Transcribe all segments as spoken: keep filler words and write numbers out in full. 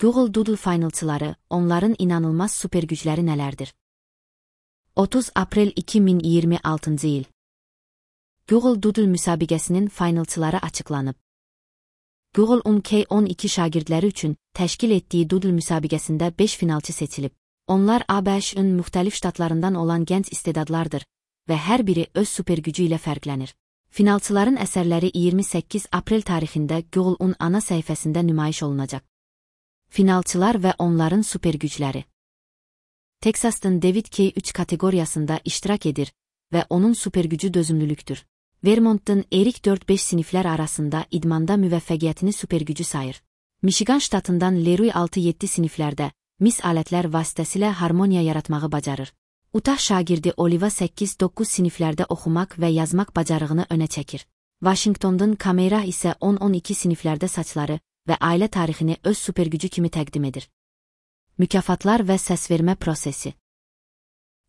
Google Doodle finalçıları, onların inanılmaz süper gücləri nələrdir? otuz aprel iki min iyirmi altıncı il. Google Doodle müsabiqəsinin finalçıları açıqlanıb. Google-un K on iki şagirdləri üçün təşkil etdiyi Doodle müsabiqəsində beş finalçı seçilib. Onlar A B Ş'ın müxtəlif ştatlarından olan gənc istedadlardır və hər biri öz süper gücü ilə fərqlənir. Finalçıların əsərləri iyirmi səkkiz aprel tarixində Google-un ana səhifəsində nümayiş olunacaq. Finalçılar və onların süper gücləri. Texas'ın David K üç kateqoriyasında iştirak edir və onun süper gücü dözümlülükdür. Vermont'un Erik dörd beş siniflər arasında idmanda müvəffəqiyyətini süper gücü sayır. Michigan ştatından Leroy altı yeddi siniflərdə mis alətlər vasitəsilə harmoniya yaratmağı bacarır. Utah şagirdi Oliva səkkiz doqquz siniflərdə oxumaq və yazmaq bacarığını önə çəkir. Washington'dan Kamera isə on on iki siniflərdə saçları və ailə tarixini öz süper gücü kimi təqdim edir. Mükafatlar və səsvermə prosesi.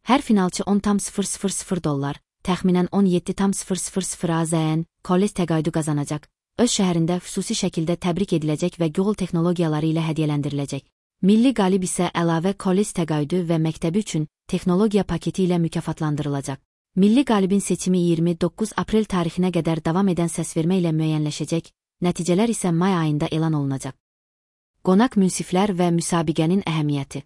Hər finalçı on tam sıfır sıfır sıfır dollar, təxminən on yeddi tam sıfır sıfır sıfır AZN, kollec təqaüdü qazanacaq, öz şəhərində xüsusi şəkildə təbrik ediləcək və Google texnologiyaları ilə hədiyyələndiriləcək. Milli qalib isə əlavə kollec təqaüdü və məktəbi üçün texnologiya paketi ilə mükafatlandırılacaq. Milli qalibin seçimi iyirmi doqquz aprel tarixinə qədər davam edən səsvermə ilə müəyyənləşəcək, nəticələr isə may ayında elan olunacaq. Qonaq münsiflər və müsabiqənin əhəmiyyəti.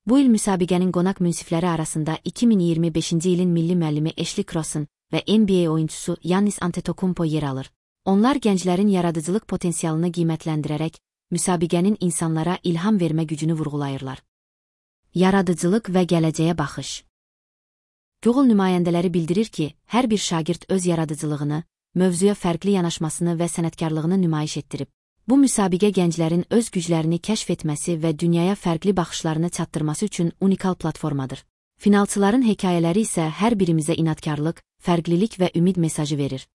Bu il müsabiqənin qonaq münsifləri arasında iki min iyirmi beşinci ilin milli müəllimi Ashley Crossan və N B A oyunçusu Giannis Antetokounmpo yer alır. Onlar gənclərin yaradıcılıq potensialını qiymətləndirərək, müsabiqənin insanlara ilham vermə gücünü vurğulayırlar. Yaradıcılıq və gələcəyə baxış. Google nümayəndələri bildirir ki, hər bir şagird öz yaradıcılığını, mövzuya fərqli yanaşmasını və sənətkarlığını nümayiş etdirib. Bu müsabiqə gənclərin öz güclərini kəşf etməsi və dünyaya fərqli baxışlarını çatdırması üçün unikal platformadır. Finalçıların hekayələri isə hər birimizə inadkarlıq, fərqlilik və ümid mesajı verir.